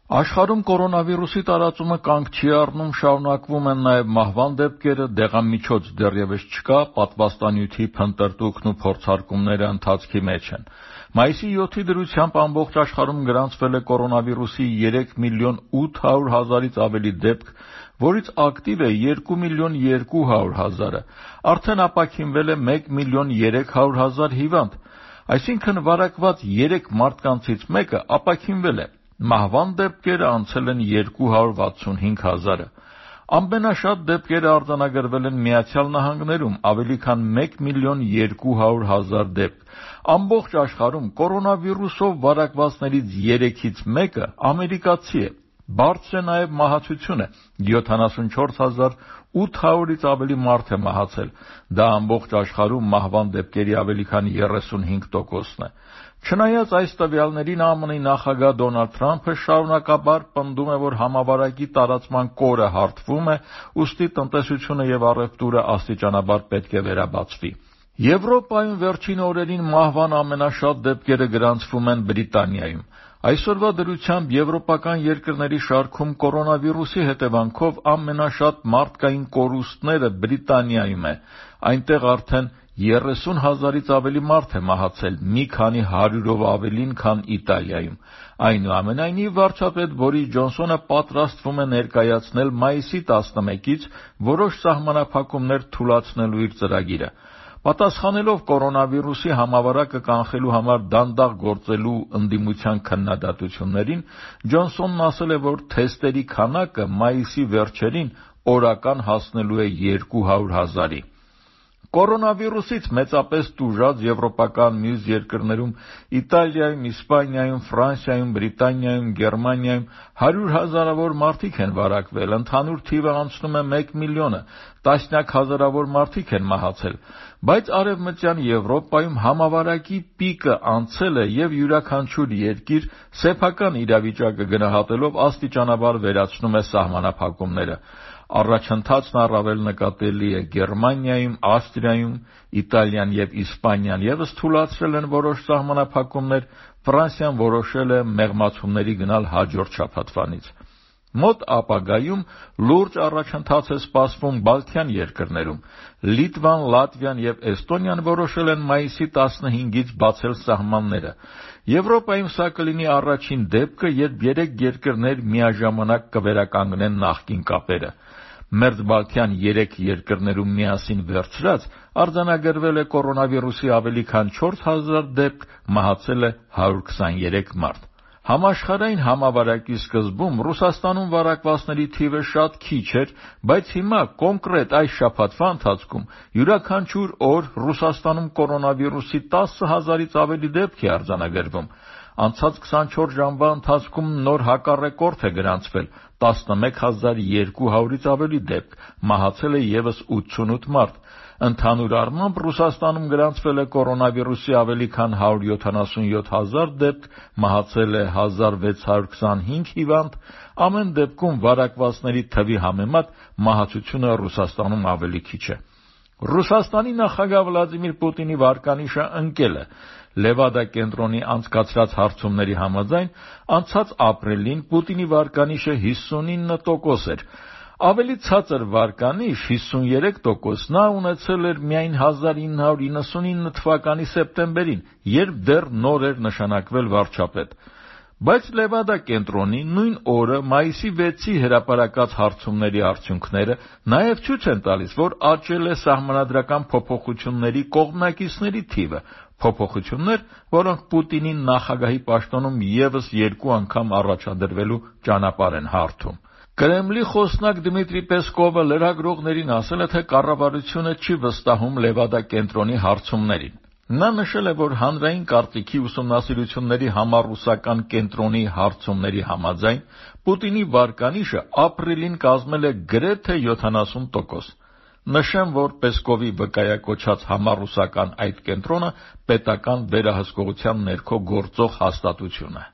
Աշխարհում կորոնավիրուսի տարածումը կանգ չի առնում, շարունակվում են նաև մահվան դեպքերը, դեղամիջոց դեռևս չկա, պատվաստանյութի փնտրտուքն ու փորձարկումները ընթացքի մեջ են։ Մայիսի 7-ի դրությամբ ամբողջ աշխարհում գրանցվել է կորոնավիրուսի 3 միլիոն 800 հազարից ավելի դեպք, որից ակտիվ է 2 միլիոն 200 հազարը, արդեն ապաքինվել է 1 միլիոն 300 հազար հիվանդ, այսինքն վարակված 3 մարդկանցից մեկը ապաքինվել է։ Մահվան դեպքերը անցել են 265 հազարը։ Ամենաշատ դեպքերը արձանագրվել են Միացյալ Նահանգներում, ավելի քան 1 միլիոն 200 հազար դեպք։ Ամբողջ աշխարհում կորոնավիրուսով վարակվածներից 3-ից մեկը ամերիկացի է։ Բարձր է նաև մահացությունը, 74,800-ից ավելի մարդ է մահացել։ Դա ամբողջ աշխարհում մահվան դեպքերի ավելի քան 35%-ն է։ Չնայած այս տվյալներին, ԱՄՆ-ի նախագահ Դոնալդ Թրամփը շարունակաբար պնդում է, որ համավարակի տարածման կորը հարթվում է, ուստի տնտեսությունը եւ առևտուրը աստիճանաբար պետք է վերաբացվի։ Եվրոպայում վերջին օրերին մահվան ամենաշատ դեպքերը գրանցվում են Բրիտանիայում։ Այսօրվա դրությամբ եվրոպական երկրների շարքում կորոնավիրուսի հետևանքով ամենաշատ մարդկային կորուստները Բրիտանիայում է։ Այնտեղ արդեն 30 հազարից ավելի մարդ է մահացել, մի քանի հարյուրով ավելին, քան Իտալիայում։ Այնուամենայնիվ, վարչապետ Բորիս Ջոնսոնը պատրաստվում է ներկայացնել մայիսի 11-ից որոշ սահմանափակումներ թուլացնելու իր ծրագիրը։ Պատասխանելով կորոնավիրուսի համավարակը կանխելու համար դանդաղ գործելու ընդդիմության քննադատություններին, Ջոնսոնն ասել է, որ թեստերի քանակը մայիսի վերջերին օրական հասնելու է 200 հազարի։ Կորոնավիրուսից մեծապես տուժած եվրոպական մյուս երկրներում Իտալիայում, Իսպանիայում, Ֆրանսիայում, Բրիտանիայում, Գերմանիայում 100 հազարավոր մարդիկ են վարակվել, ընդհանուր թիվը անցնում է 1 միլիոնը, տասնյակ հազարավոր մարդիկ են մահացել, բայց Արևմտյան Եվրոպայում համավարակի պիկը անցել է եւ յուրաքանչյուր երկիր սեփական իրավիճակը գնահատելով աստիճանաբար վերացնում է սահմանափակումները։ Առաջընթացն առավել նկատելի է Գերմանիայում, Ավստրիայում, Իտալիան եւ Իսպանիան եւս թուլացրել են որոշ սահմանափակումներ, Ֆրանսիան որոշել է մեղմացումների գնալ հաջորդ շաբաթվանից։ Մոտ ապագայում լուրջ առաջընթաց է սպասվում Բալթյան երկրներում։ Լիտվան, Լատվիան եւ Էստոնիան որոշել են մայիսի 15-ից բացել սահմանները։ Եվրոպայում սա կլինի առաջին դեպքը, երբ 3 երկրներ միաժամանակ կվերականգնեն նախկին կապերը։ Մերձբալթյան 3 երկրներում միասին վերցրած արձանագրվել է կորոնավիրուսի ավելի քան 4000 դեպք, մահացել է 123 մարդ։ Համաշխարհային համավարակի սկզբում Ռուսաստանում վարակվածների թիվը շատ քիչ էր, բայց հիմա կոնկրետ այս շաբաթվա ընթացքում յուրաքանչյուր օր Ռուսաստանում կորոնավիրուսի 10,000-ից ավելի դեպք է արձանագրվում։ Անցած 24 ժամվա ընթացքում նոր հակառեկորդ է գրանցվել 11200-ից ավելի դեպք, մահացել է եւս 88 մարդ։ Ընդհանուր առմամբ Ռուսաստանում գրանցվել է կորոնավիրուսի ավելի քան 177 հազար դեպք, մահացել է 1625 հիվանդ, ամեն դեպքում վարակվածների թվի համեմատ մահացությունը Ռուսաստանում ավելի քիչ է։ Ռուսաստանի նախագահ Վլադիմիր Պուտինի վարկանիշը ընկել է։ Լևադա կենտրոնի անցկացրած հարցումների համաձայն անցած ապրիլին Պուտինի վարկանիշը 59% էր։ Ավելի ցածր վարկանիշ 53% նա ունեցել էր միայն 1999 թվականի սեպտեմբերին, երբ դեռ նոր էր նշանակվել վարչապետ։ Բայց Լևադա կենտրոնի նույն օրը մայիսի 6-ի հրապարակած հարցումների արդյունքները նաև ցույց են տալիս, որ աճել է սահմանադրական փոփոխությունների կողմնակիցների թիվը, փոփոխություններ, որոնք Պուտինի նախագահի պաշտոնում եւս 2 անգամ առաջադրվելու ճանապարհ են հարթում։ Կրեմլի խոսնակ Դմիտրի Պեսկովը լրագրողներին ասել է, թե կառավարությունը չի վստահում Լևադա կենտրոնի հարցումներին։ Նա նշել է, որ հանրային կարծիքի ուսումնասիրությունների համառուսական կենտրոնի հարցումների համաձայն Պուտինի վարկանիշը ապրիլին կազմել է գրեթե 70%։ Նշեմ, որ Պեսկովի վկայակոչած համառուսական այդ կենտրոնը պետական վերահսկողության ներքո գործող հաստատություն է։